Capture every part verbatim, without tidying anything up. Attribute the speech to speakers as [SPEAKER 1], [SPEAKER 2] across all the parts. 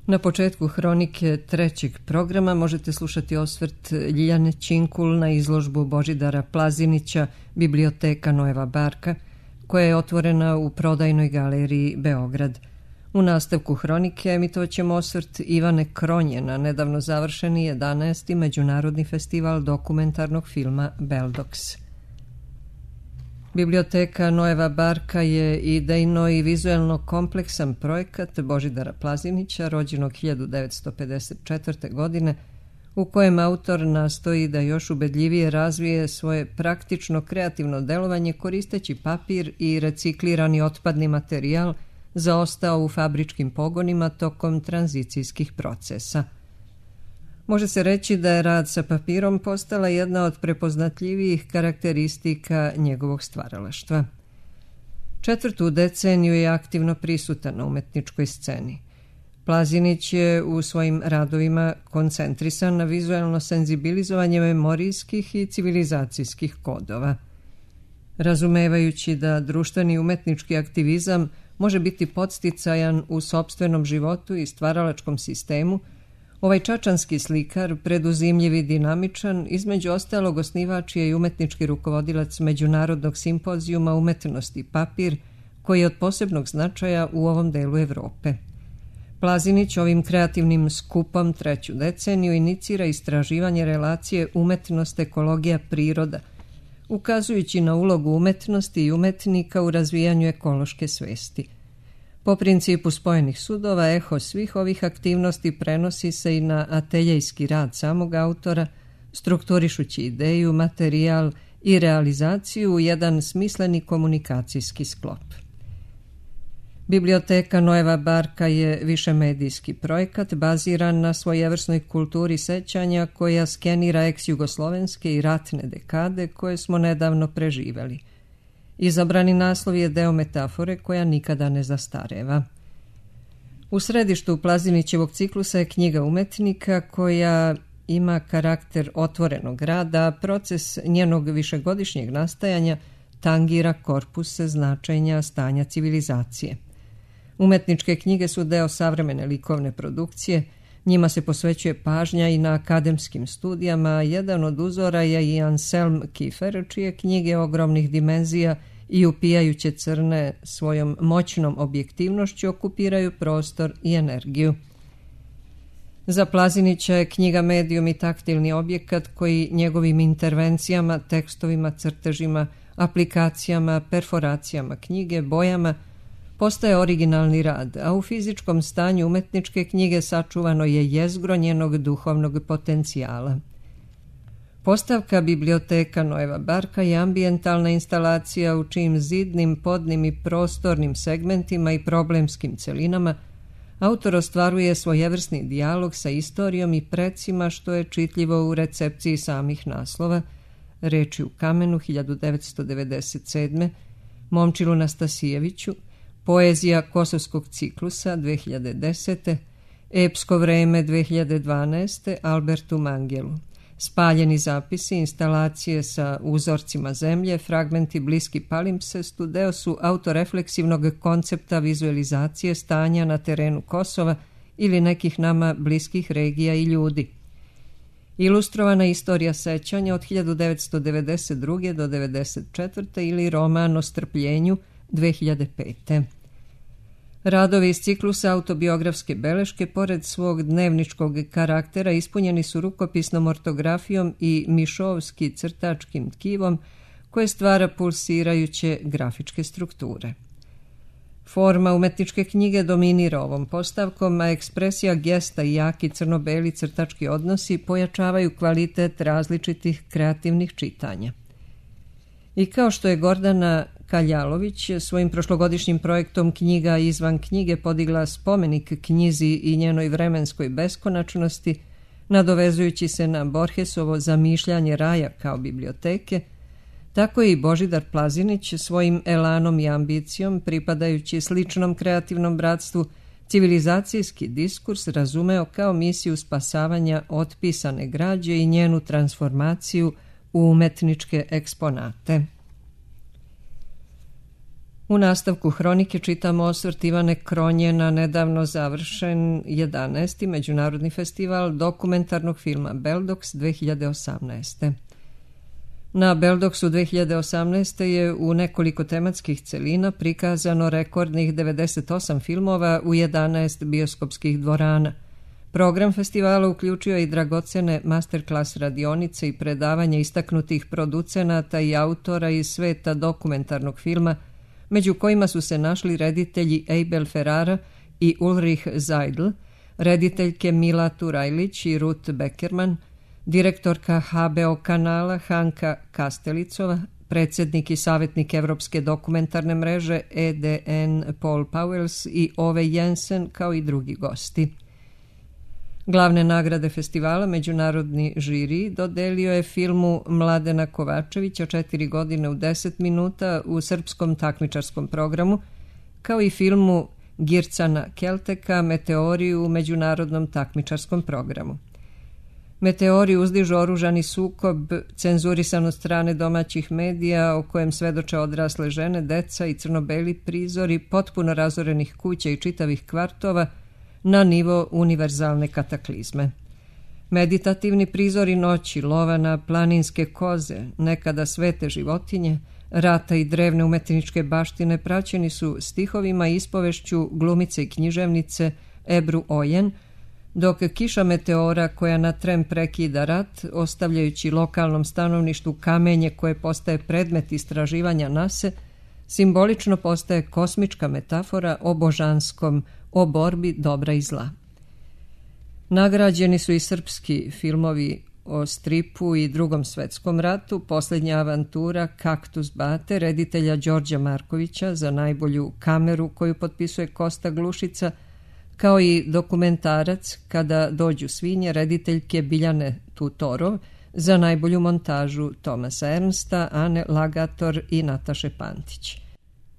[SPEAKER 1] Na početku hronike trećeg programa možete slušati osvrt Ljiljane Činkul na izložbu Božidara Plazinića Biblioteka Noeva Barka, koja je otvorena u Prodajnoj galeriji Beograd. U nastavku hronike emitovat ćemo osvrt Ivane Kronje na nedavno završeni jedanaesti Međunarodni festival dokumentarnog filma Beldox. Biblioteka Noeva Barka je idejno i vizuelno kompleksan projekat Božidara Plazinića, rođenog hiljadu devetsto pedeset četvrte. godine, u kojem autor nastoji da još ubedljivije razvije svoje praktično kreativno delovanje koristeći papir i reciklirani otpadni materijal zaostao u fabričkim pogonima tokom tranzicijskih procesa. Može se reći da je rad sa papirom postala jedna od prepoznatljivijih karakteristika njegovog stvaralaštva. Četvrtu deceniju je aktivno prisutan na umetničkoj sceni. Plazinić je u svojim radovima koncentrisan na vizuelno senzibilizovanje memorijskih i civilizacijskih kodova. Razumevajući da društveni umetnički aktivizam može biti podsticajan u sopstvenom životu i stvaralačkom sistemu, ovaj čačanski slikar, preduzimljiv i dinamičan, između ostalog osnivač je i umetnički rukovodilac Međunarodnog simpozijuma umetnosti papir, koji je od posebnog značaja u ovom delu Evrope. Plazinić ovim kreativnim skupom treću deceniju inicira istraživanje relacije umetnost-ekologija-priroda, ukazujući na ulogu umetnosti i umetnika u razvijanju ekološke svesti. Po principu spojenih sudova, eho svih ovih aktivnosti prenosi se i na ateljejski rad samog autora, strukturišući ideju, materijal i realizaciju u jedan smisleni komunikacijski sklop. Biblioteka Noeva Barka je višemedijski projekat baziran na svojevrsnoj kulturi sećanja koja skenira ex-jugoslovenske i ratne dekade koje smo nedavno preživeli. Izabrani naslov je deo metafore koja nikada ne zastareva. U središtu Plazinićevog ciklusa je knjiga umetnika koja ima karakter otvorenog rada, a proces njenog višegodišnjeg nastajanja tangira korpuse značenja stanja civilizacije. Umetničke knjige su deo savremene likovne produkcije, njima se posvećuje pažnja i na akademskim studijama, a jedan od uzora je i Anselm Kiefer, čije knjige ogromnih dimenzija i upijajuće crne svojom moćnom objektivnošću okupiraju prostor i energiju. Za Plazinića je knjiga medijum i taktilni objekat koji njegovim intervencijama, tekstovima, crtežima, aplikacijama, perforacijama knjige, bojama postaje originalni rad, a u fizičkom stanju umetničke knjige sačuvano je jezgro njenog duhovnog potencijala. Postavka Biblioteka Noeva Barka je ambijentalna instalacija u čijim zidnim, podnim i prostornim segmentima i problemskim celinama autor ostvaruje svojevrsni dijalog sa istorijom i precima, što je čitljivo u recepciji samih naslova: Reči u kamenu hiljadu devetsto devedeset sedme. Momčilu Nastasijeviću, Poezija Kosovskog ciklusa dve hiljade desete. Epsko vreme dve hiljade dvanaeste. Albertu Mangelu. Spaljeni zapisi, instalacije sa uzorcima zemlje, fragmenti bliski palimpsestu deo su autorefleksivnog koncepta vizualizacije stanja na terenu Kosova ili nekih nama bliskih regija i ljudi. Ilustrovana istorija sećanja od hiljadu devetsto devedeset druge. do devedeset četvrte. ili roman o strpljenju dve hiljade pete. Radovi iz ciklusa autobiografske beleške, pored svog dnevničkog karaktera, ispunjeni su rukopisnom ortografijom i mišovski crtačkim tkivom koje stvara pulsirajuće grafičke strukture. Forma umetničke knjige dominira ovom postavkom, a ekspresija gesta i jaki crno-beli crtački odnosi pojačavaju kvalitet različitih kreativnih čitanja. I kao što je Gordana Kaljalović svojim prošlogodišnjim projektom Knjiga izvan knjige podigla spomenik knjizi i njenoj vremenskoj beskonačnosti, nadovezujući se na Borgesovo zamišljanje raja kao biblioteke, tako je i Božidar Plazinić svojim elanom i ambicijom, pripadajući sličnom kreativnom bratstvu, civilizacijski diskurs razumeo kao misiju spasavanja otpisane građe i njenu transformaciju u umetničke eksponate. U nastavku hronike čitamo osvrt Ivane Kronje na nedavno završen jedanaesti Međunarodni festival dokumentarnog filma Beldox dve hiljade osamnaeste. Na Beldoksu dve hiljade osamnaeste. je u nekoliko tematskih celina prikazano rekordnih devedeset osam filmova u jedanaest bioskopskih dvorana. Program festivala uključio i dragocene masterclass radionice i predavanje istaknutih producenata i autora iz sveta dokumentarnog filma, među kojima su se našli reditelji Abel Ferrara i Ulrich Seidl, rediteljke Mila Turajlić i Ruth Beckerman, direktorka H B O kanala Hanka Kastelicova, predsjednik i savjetnik Evropske dokumentarne mreže E D N Paul Pauwels i Ove Jensen, kao i drugi gosti. Glavne nagrade festivala međunarodni žiri dodelio je filmu Mladena Kovačevića Četiri godine u deset minuta u srpskom takmičarskom programu, kao i filmu Gircana Kelteka Meteori u međunarodnom takmičarskom programu. Meteori uzdižu oružani sukob, cenzurisan od strane domaćih medija, o kojem svedoče odrasle žene, deca i crnobeli prizori potpuno razorenih kuća i čitavih kvartova na nivo univerzalne kataklizme. Meditativni prizori noći, lova na planinske koze, nekada svete životinje, rata i drevne umetničke baštine praćeni su stihovima i ispovešću glumice i književnice Ebru Ojen, dok kiša meteora koja na tren prekida rat, ostavljajući lokalnom stanovništvu kamenje koje postaje predmet istraživanja nase, simbolično postaje kosmička metafora o božanskom, o borbi dobra i zla. Nagrađeni su i srpski filmovi o stripu i Drugom svetskom ratu, Posljednja avantura Kaktus Bate, reditelja Đorđa Markovića za najbolju kameru koju potpisuje Kosta Glušica, kao i dokumentarac Kada dođu svinje, rediteljke Biljane Tutorov za najbolju montažu Tomasa Ernsta, Ane Lagator i Nataše Pantić.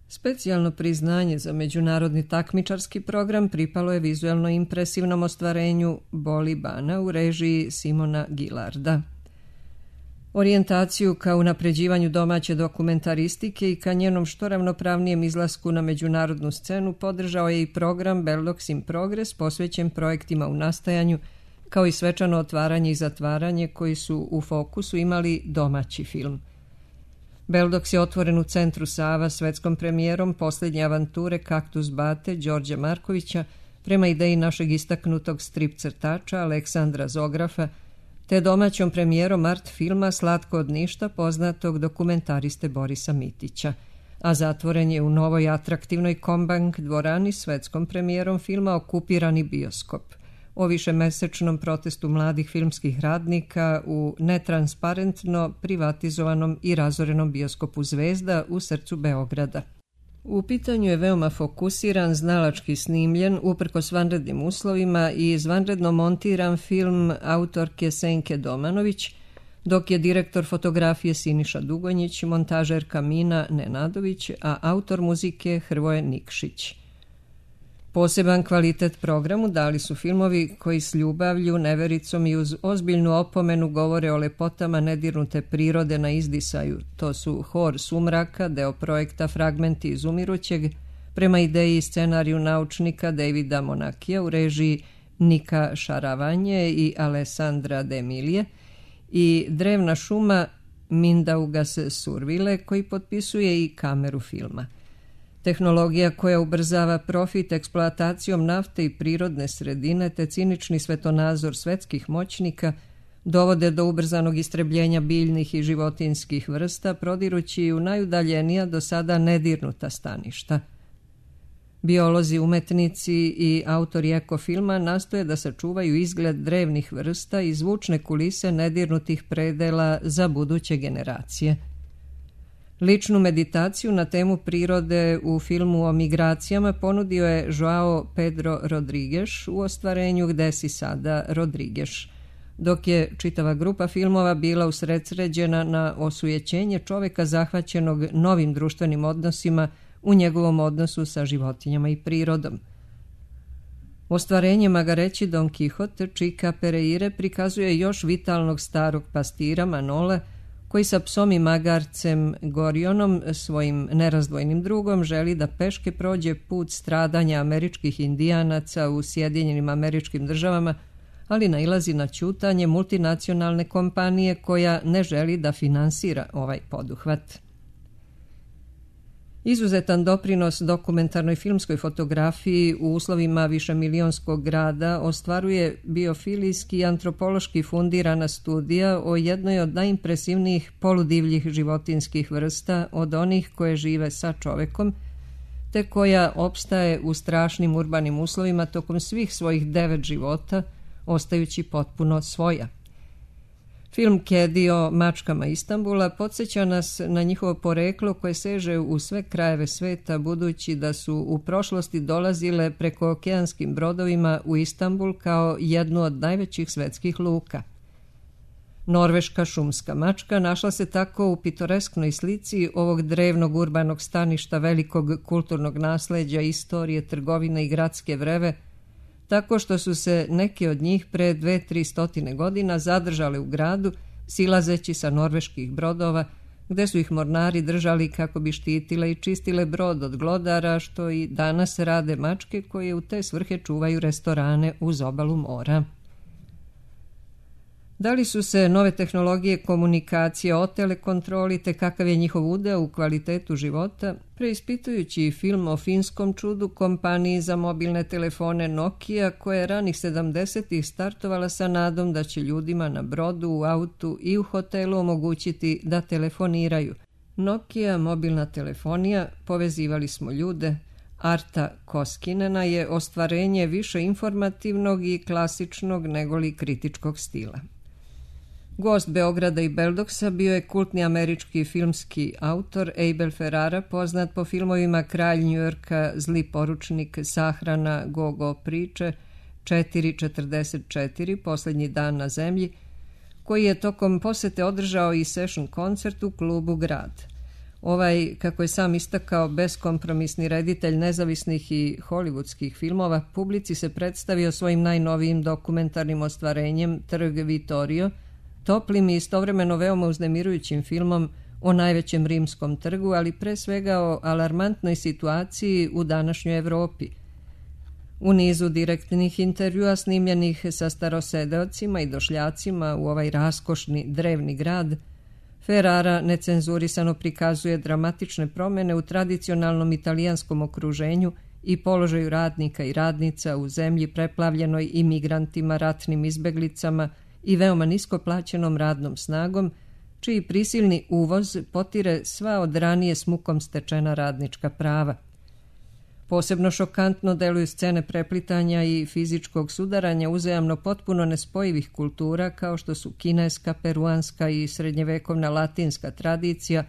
[SPEAKER 1] Specijalno priznanje za međunarodni takmičarski program pripalo je vizuelno impresivnom ostvarenju Boli Bana u režiji Simona Gilarda. Orijentaciju ka unapređivanju domaće dokumentaristike i ka njenom što ravnopravnijem izlasku na međunarodnu scenu podržao je i program Beldox in Progress posvećen projektima u nastajanju, kao i svečano otvaranje i zatvaranje koji su u fokusu imali domaći film. Beldox je otvoren u centru Sava svetskom premijerom Posljednje avanture Kaktus Bate Đorđa Markovića prema ideji našeg istaknutog strip crtača Aleksandra Zografa, te domaćom premijerom art filma Slatko od ništa poznatog dokumentariste Borisa Mitića, a zatvoren je u novoj atraktivnoj Kombank dvorani svetskom premijerom filma Okupirani bioskop, o višemesečnom protestu mladih filmskih radnika u netransparentno privatizovanom i razorenom bioskopu Zvezda u srcu Beograda. U pitanju je veoma fokusiran, znalački snimljen, uprkos vanrednim uslovima i izvanredno montiran film autorke Senke Domanović, dok je direktor fotografije Siniša Dugonjić, montažerka Mina Nenadović, a autor muzike Hrvoje Nikšić. Poseban kvalitet programu dali su filmovi koji s ljubavlju, nevericom i uz ozbiljnu opomenu govore o lepotama nedirnute prirode na izdisaju. To su Hor sumraka, deo projekta Fragmenti iz umirućeg, prema ideji i scenariju naučnika Davida Monakija u režiji Nika Šaravanje i Alessandra Demilije, i Drevna šuma Mindaugas Survile, koji potpisuje i kameru filma. Tehnologija koja ubrzava profit eksploatacijom nafte i prirodne sredine te cinični svetonazor svetskih moćnika dovode do ubrzanog istrebljenja biljnih i životinskih vrsta, prodirući u najudaljenija do sada nedirnuta staništa. Biolozi, umetnici i autori ekofilma nastoje da sačuvaju izgled drevnih vrsta i zvučne kulise nedirnutih predela za buduće generacije. Ličnu meditaciju na temu prirode u filmu o migracijama ponudio je Joao Pedro Rodrigues u ostvarenju Gde si sada, Rodrigues, dok je čitava grupa filmova bila usredsređena na osujećenje čoveka zahvaćenog novim društvenim odnosima u njegovom odnosu sa životinjama i prirodom. Ostvarenje magareći Don Quixote Čika Pereire prikazuje još vitalnog starog pastira Manola, koji sa psom i magarcem Gorionom, svojim nerazdvojnim drugom, želi da peške prođe put stradanja američkih indijanaca u Sjedinjenim Američkim Državama, ali nailazi na ćutanje multinacionalne kompanije koja ne želi da finansira ovaj poduhvat. Izuzetan doprinos dokumentarnoj filmskoj fotografiji u uslovima višemilionskog grada ostvaruje biofilijski i antropološki fundirana studija o jednoj od najimpresivnijih poludivljih životinskih vrsta od onih koje žive sa čovekom, te koja opstaje u strašnim urbanim uslovima tokom svih svojih devet života, ostajući potpuno svoja. Film Kedi o mačkama Istanbula podsjeća nas na njihovo poreklo koje seže u sve krajeve sveta, budući da su u prošlosti dolazile preko okeanskim brodovima u Istanbul kao jednu od najvećih svetskih luka. Norveška šumska mačka našla se tako u pitoresknoj slici ovog drevnog urbanog staništa velikog kulturnog nasleđa, istorije, trgovine i gradske vreve, tako što su se neki od njih pre dve, tri stotine godina zadržale u gradu, silazeći sa norveških brodova, gde su ih mornari držali kako bi štitile i čistile brod od glodara, što i danas rade mačke koje u te svrhe čuvaju restorane uz obalu mora. Da li su se nove tehnologije komunikacije otele kontroli, te kakav je njihov udeo u kvalitetu života, preispitujući film o finskom čudu kompaniji za mobilne telefone Nokia, koja je ranih sedamdesetih startovala sa nadom da će ljudima na brodu, u autu i u hotelu omogućiti da telefoniraju. Nokia mobilna telefonija, povezivali smo ljude, Arta Koskinena je ostvarenje više informativnog i klasičnog negoli kritičkog stila. Gost Beograda i Beldoksa bio je kultni američki filmski autor Abel Ferrara, poznat po filmovima Kralj Njujorka, Zli poručnik, Sahrana, Go-Go priče, četiri četrdeset četiri, Poslednji dan na zemlji, koji je tokom posete održao i session koncert u klubu Grad. Ovaj, kako je sam istakao, beskompromisni reditelj nezavisnih i hollywoodskih filmova, publici se predstavio svojim najnovijim dokumentarnim ostvarenjem Trg Vittorio, toplim i istovremeno veoma uznemirujućim filmom o najvećem rimskom trgu, ali pre svega o alarmantnoj situaciji u današnjoj Evropi. U nizu direktnih intervjua snimljenih sa starosedeocima i došljacima u ovaj raskošni drevni grad, Ferrara necenzurisano prikazuje dramatične promjene u tradicionalnom italijanskom okruženju i položaju radnika i radnica u zemlji preplavljenoj imigrantima, ratnim izbeglicama i veoma nisko plaćenom radnom snagom, čiji prisilni uvoz potire sva od ranije s mukom stečena radnička prava. Posebno šokantno deluju scene preplitanja i fizičkog sudaranja uzajamno potpuno nespojivih kultura kao što su kineska, peruanska i srednjevekovna latinska tradicija,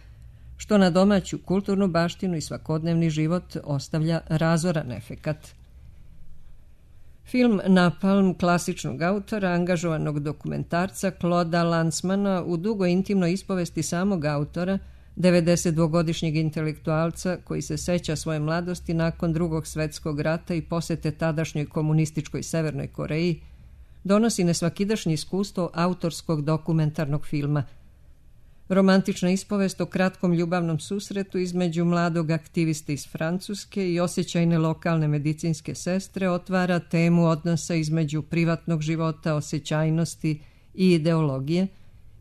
[SPEAKER 1] što na domaću kulturnu baštinu i svakodnevni život ostavlja razoran efekat. Film Napalm klasičnog autora, angažovanog dokumentarca Clauda Lanzmana u dugo intimnoj ispovesti samog autora, devedesetdvogodišnjeg intelektualca koji se seća svoje mladosti nakon Drugog svetskog rata i posete tadašnjoj komunističkoj Severnoj Koreji, donosi nesvakidašnje iskustvo autorskog dokumentarnog filma. Romantična ispovest o kratkom ljubavnom susretu između mladog aktiviste iz Francuske i osjećajne lokalne medicinske sestre otvara temu odnosa između privatnog života, osjećajnosti i ideologije,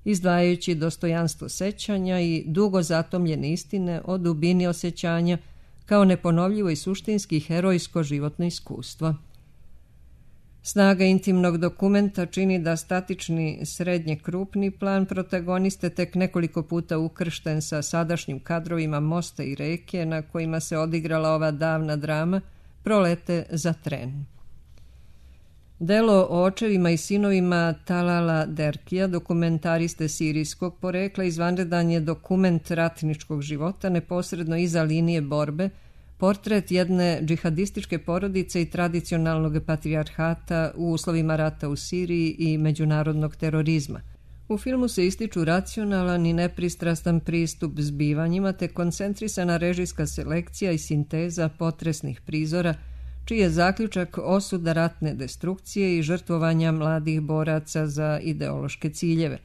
[SPEAKER 1] izdvajajući dostojanstvo sećanja i dugo zatomljene istine o dubini osjećanja kao neponovljivo i suštinski herojsko životno iskustvo. Snaga intimnog dokumenta čini da statični srednje krupni plan protagoniste tek nekoliko puta ukršten sa sadašnjim kadrovima mosta i reke na kojima se odigrala ova davna drama, prolete za tren. Delo o očevima i sinovima Talala Derkija, dokumentariste sirijskog porekla, izvanredan je dokument ratničkog života neposredno iza linije borbe, portret jedne džihadističke porodice i tradicionalnog patrijarhata u uslovima rata u Siriji i međunarodnog terorizma. U filmu se ističu racionalan i nepristrastan pristup zbivanjima te koncentrisana režijska selekcija i sinteza potresnih prizora, čiji je zaključak osuda ratne destrukcije i žrtvovanja mladih boraca za ideološke ciljeve.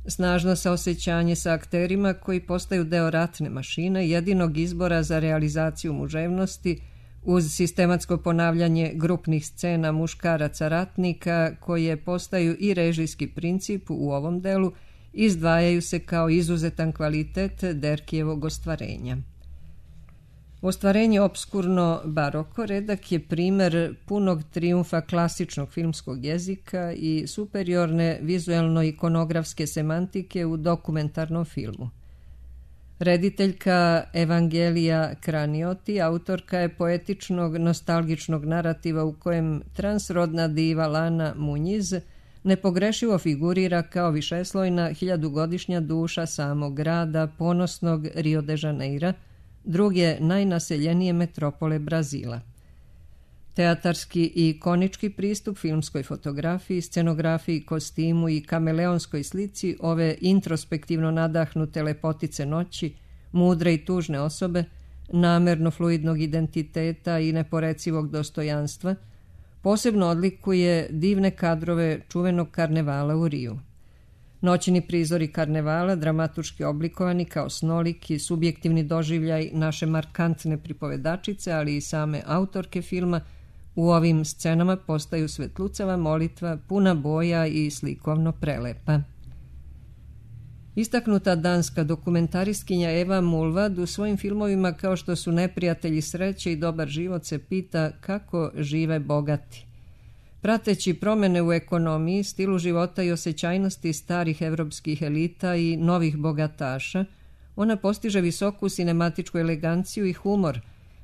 [SPEAKER 1] Snažno saosećanje sa akterima koji postaju deo ratne mašine, jedinog izbora za realizaciju muževnosti, uz sistematsko ponavljanje grupnih scena muškaraca ratnika koje postaju i režijski princip u ovom delu, izdvajaju se kao izuzetan kvalitet Derkijevog ostvarenja. Ostvarenje obskurno baroko redak je primer punog trijumfa klasičnog filmskog jezika i superiorne vizuelno-ikonografske semantike u dokumentarnom filmu. Rediteljka Evangelija Kranioti autorka je poetičnog, nostalgičnog narativa u kojem transrodna diva Lana Muñiz nepogrešivo figurira kao višeslojna hiljadugodišnja duša samog grada, ponosnog Rio de Janeira, druge najnaseljenije metropole Brazila. Teatarski i ikonički pristup filmskoj fotografiji, scenografiji, kostimu i kameleonskoj slici ove introspektivno nadahnute lepotice noći, mudre i tužne osobe, namerno fluidnog identiteta i neporecivog dostojanstva, posebno odlikuje divne kadrove čuvenog karnevala u Riju. Noćni prizori karnevala, dramatuški oblikovani kao snoliki, subjektivni doživljaj naše markantne pripovedačice, ali i same autorke filma, u ovim scenama postaju svetlucava molitva, puna boja i slikovno prelepa. Istaknuta danska dokumentaristkinja Eva Mulvad u svojim filmovima kao što su Neprijatelji sreće i Dobar život se pita kako žive bogati. Prateći promene u ekonomiji, stilu života i osjećajnosti starih evropskih elita i novih bogataša, ona postiže visoku sinematičku eleganciju i humor,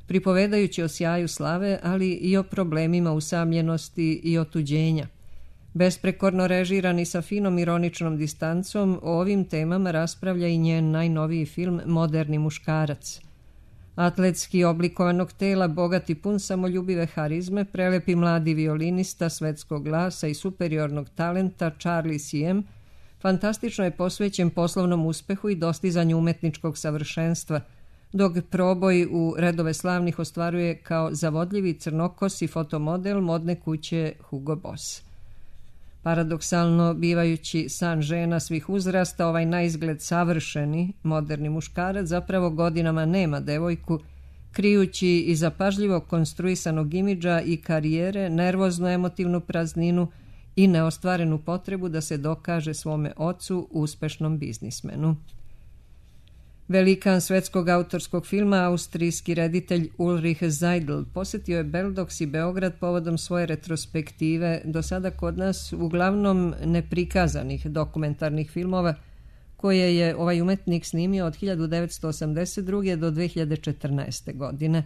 [SPEAKER 1] pripovedajući o sjaju slave, ali i o problemima usamljenosti i otuđenja. Besprekorno režiran i sa finom ironičnom distancom, o ovim temama raspravlja i njen najnoviji film Moderni muškarac. Atletski oblikovanog tela, bogati pun samoljubive harizme, prelepi mladi violinista svetskog glasa i superiornog talenta Charlie Siem, fantastično je posvećen poslovnom uspehu i dostizanju umetničkog savršenstva, dok proboj u redove slavnih ostvaruje kao zavodljivi crnokosi fotomodel modne kuće Hugo Boss. Paradoksalno bivajući san žena svih uzrasta, ovaj naizgled savršeni, moderni muškarac zapravo godinama nema devojku, krijući iza pažljivo konstruisanog imidža i karijere nervoznu emotivnu prazninu i neostvarenu potrebu da se dokaže svome ocu, uspešnom biznismenu. Velikan svetskog autorskog filma, austrijski reditelj Ulrich Seidl, posjetio je Beldox i Beograd povodom svoje retrospektive, do sada kod nas uglavnom neprikazanih dokumentarnih filmova, koje je ovaj umetnik snimio od hiljadu devetsto osamdeset druge. do dve hiljade četrnaeste. godine.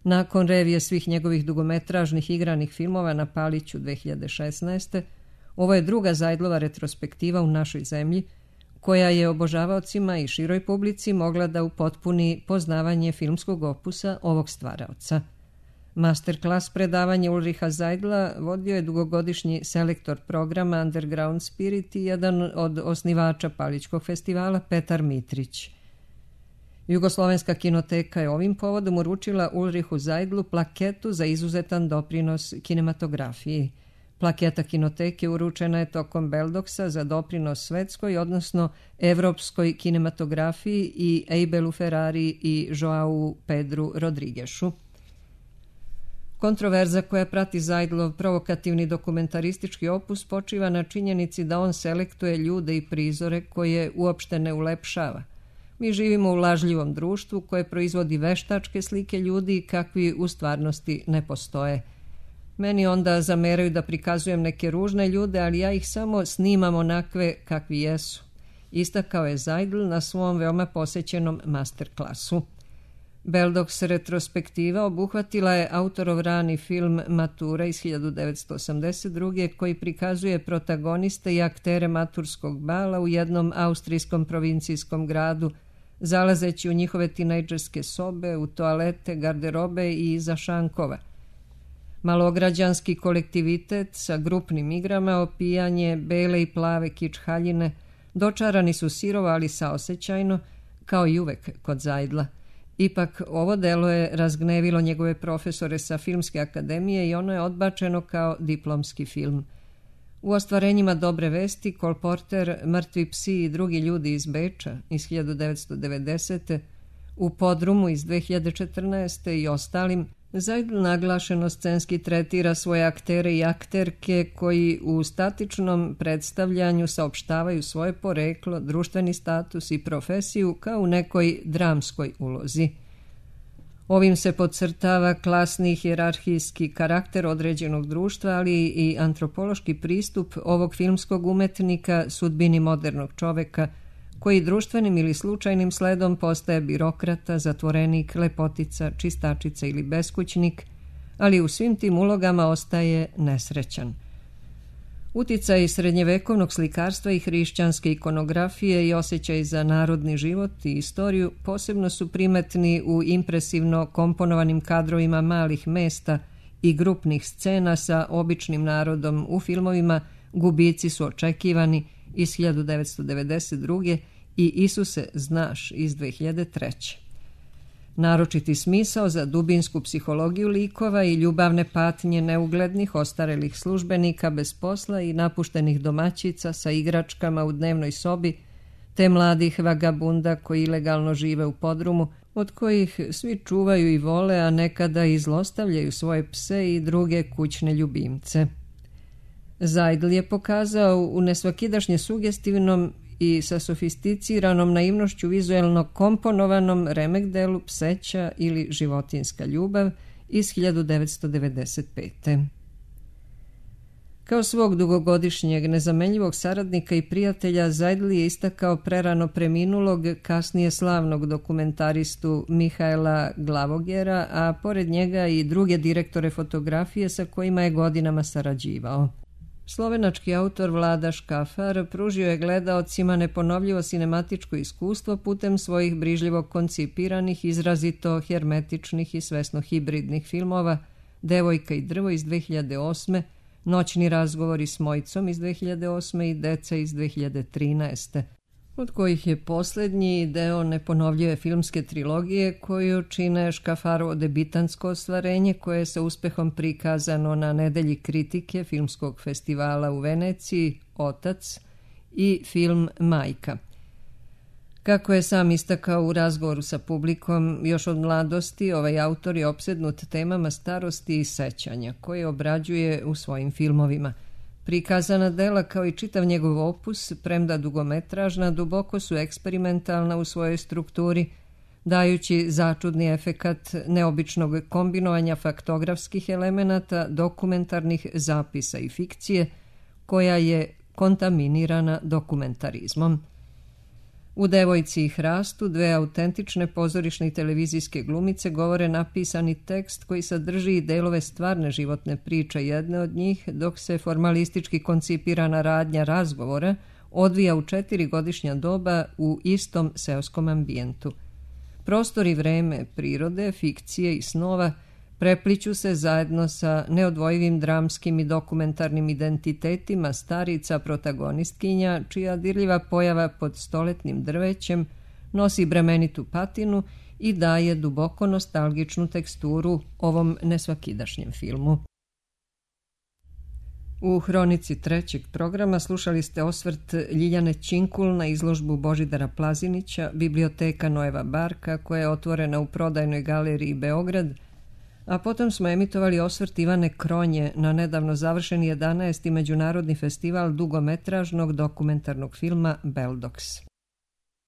[SPEAKER 1] Nakon revije svih njegovih dugometražnih igranih filmova na Paliću dve hiljade šesnaeste. ovo je druga Seidlova retrospektiva u našoj zemlji, koja je obožavaocima i široj publici mogla da upotpuni poznavanje filmskog opusa ovog stvaraoca. Masterclass predavanje Ulricha Seidla vodio je dugogodišnji selektor programa Underground Spirit i jedan od osnivača Palićkog festivala Petar Mitrić. Jugoslovenska kinoteka je ovim povodom uručila Ulrichu Seidlu plaketu za izuzetan doprinos kinematografiji. Plaketa kinoteke uručena je tokom Beldoxa za doprinos svetskoj, odnosno evropskoj kinematografiji i Eibelu Ferrari i Joau Pedru Rodriguešu. Kontroverza koja prati Seidlov provokativni dokumentaristički opus počiva na činjenici da on selektuje ljude i prizore koje uopšte ne ulepšava. Mi živimo u lažljivom društvu koje proizvodi veštačke slike ljudi kakvi u stvarnosti ne postoje. Meni onda zameraju da prikazujem neke ružne ljude, ali ja ih samo snimam onakve kakvi jesu. Istakao je Seidl na svom veoma posećenom masterklasu. Beldox retrospektiva obuhvatila je autorov rani film Matura iz hiljadu devetsto osamdeset druge. koji prikazuje protagoniste i aktere maturskog bala u jednom austrijskom provincijskom gradu, zalazeći u njihove tinejdžerske sobe, u toalete, garderobe i iza šankova. Malograđanski kolektivitet sa grupnim igrama, opijanje, bele i plave kič haljine, dočarani su sirovo, ali saosećajno, kao i uvek kod Seidla. Ipak, ovo delo je razgnevilo njegove profesore sa Filmske akademije i ono je odbačeno kao diplomski film. U ostvarenjima Dobre vesti, Kolporter, Mrtvi psi i drugi ljudi iz Beča iz hiljadu devetsto devedesete, u Podrumu iz dve hiljade četrnaeste i ostalim, Zajdl naglašeno scenski tretira svoje aktere i akterke koji u statičnom predstavljanju saopštavaju svoje poreklo, društveni status i profesiju kao u nekoj dramskoj ulozi. Ovim se podcrtava klasni hijerarhijski karakter određenog društva, ali i antropološki pristup ovog filmskog umetnika sudbini modernog čoveka, koji društvenim ili slučajnim sledom postaje birokrata, zatvorenik, lepotica, čistačica ili beskućnik, ali u svim tim ulogama ostaje nesrećan. Uticaj srednjevekovnog slikarstva i hrišćanske ikonografije i osjećaj za narodni život i istoriju posebno su primetni u impresivno komponovanim kadrovima malih mesta i grupnih scena sa običnim narodom u filmovima Gubici su očekivani iz hiljadu devetsto devedeset druge i Isuse, znaš iz dve hiljade treće. Naročiti smisao za dubinsku psihologiju likova i ljubavne patnje neuglednih ostarelih službenika bez posla i napuštenih domaćica sa igračkama u dnevnoj sobi, te mladih vagabunda koji ilegalno žive u Podrumu, od kojih svi čuvaju i vole, a nekada i zlostavljaju svoje pse i druge kućne ljubimce. Zajdl je pokazao u nesvakidašnje sugestivnom i sa sofisticiranom naivnošću vizuelno komponovanom remek delu Pseća ili životinjska ljubav iz hiljadu devetsto devedeset pete. Kao svog dugogodišnjeg nezamenljivog saradnika i prijatelja, Zajdl je istakao prerano preminulog, kasnije slavnog dokumentaristu Mihaela Glavogera, a pored njega i druge direktore fotografije sa kojima je godinama sarađivao. Slovenački autor Vlada Škafar pružio je gledaocima neponovljivo sinematičko iskustvo putem svojih brižljivo koncipiranih, izrazito hermetičnih i svesno hibridnih filmova Devojka i drvo iz dve hiljade osme, Noćni razgovori s Mojcom iz dve hiljade osme i Deca iz dve hiljade trinaeste, od kojih je posljednji deo neponovljive filmske trilogije koju čine Škafarovo debitansko ostvarenje koje je sa uspehom prikazano na Nedelji kritike filmskog festivala u Veneciji, Otac, i film Majka. Kako je sam istakao u razgovoru sa publikom, još od mladosti ovaj autor je opsednut temama starosti i sećanja koje obrađuje u svojim filmovima. Prikazana dela kao i čitav njegov opus, premda dugometražna, duboko su eksperimentalna u svojoj strukturi, dajući začudni efekat neobičnog kombinovanja faktografskih elemenata, dokumentarnih zapisa i fikcije, koja je kontaminirana dokumentarizmom. U Devojci i hrastu dve autentične pozorišne i televizijske glumice govore napisani tekst koji sadrži i delove stvarne životne priče jedne od njih, dok se formalistički koncipirana radnja razgovora odvija u četiri godišnja doba u istom seoskom ambijentu. Prostor i vreme prirode, fikcije i snova prepliću se zajedno sa neodvojivim dramskim i dokumentarnim identitetima starica protagonistkinja, čija dirljiva pojava pod stoletnim drvećem nosi bremenitu patinu i daje duboko nostalgičnu teksturu ovom nesvakidašnjem filmu. U hronici trećeg programa slušali ste osvrt Ljiljane Činkul na izložbu Božidara Plazinića, Biblioteka Noeva Barka, koja je otvorena u Prodajnoj galeriji Beograd, a potom smo emitovali osvrt Ivane Kronje na nedavno završeni jedanaesti Međunarodni festival dugometražnog dokumentarnog filma Beldoks.